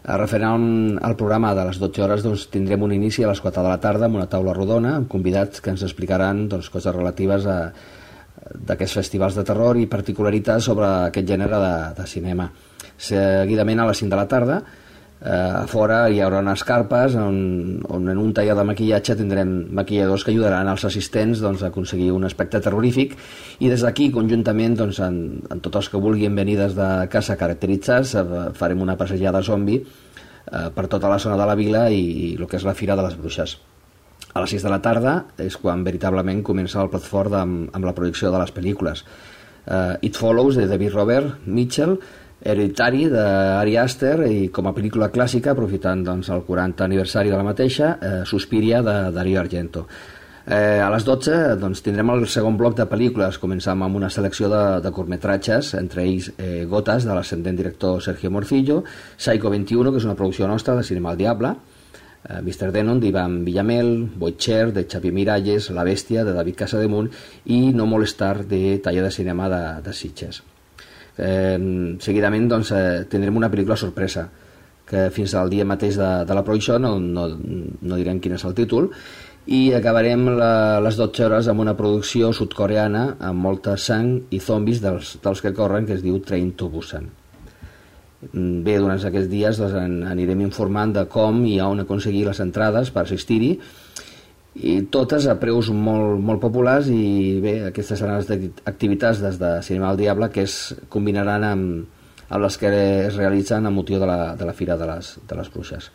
Referent al programa de les 12 hores, doncs, tindrem un inici a les 4 de la tarda amb una taula rodona amb convidats que ens explicaran coses relatives d'aquests festivals de terror i particularitats sobre aquest gènere de cinema. Seguidament, a les 5 de la tarda, a fora hi haurà unes carpes on en un taller de maquillatge tindrem maquilladors que ajudaran als assistents a aconseguir un aspecte terrorífic, i des d'aquí conjuntament en tots els que vulguin venir des de casa caracteritzats farem una passejada zombi per tota la zona de la vila i el que és la Fira de les Bruixes. A les 6 de la tarda és quan veritablement comença el plat fort amb la projecció de les pel·lícules. It Follows, de David Robert Mitchell, Hereditary, d'Ari Aster, i com a pel·lícula clàssica, aprofitant el 40 aniversari de la mateixa, Suspiria, de Dario Argento. A les 12 tindrem el segon bloc de pel·lícules. Començam amb una selecció de curtmetratges, entre ells Gotas, de l'ascendent director Sergio Morcillo, Psycho 21, que és una producció nostra de Cinema al Diable, Mr. Denon, d'Ivan Villamel, Boitxer, de Xavier Miralles, La Bèstia, de David Casademunt, i No Molestar, de Taller de Cinema de Sitges. Seguidament tindrem una pel·lícula sorpresa que fins al dia mateix de la projecció no direm quin és el títol, i acabarem les 12 hores amb una producció sud-coreana amb molta sang i zombis dels que corren, que es diu Train to Busan. Bé, durant aquests dies anirem informant de com i on aconseguir les entrades per assistir-hi, i totes a preus molt populars. I bé, aquestes seran les activitats des de Cinema al Diable que es combinaran amb les que es realitzen amb motiu de la Fira de les Bruixes.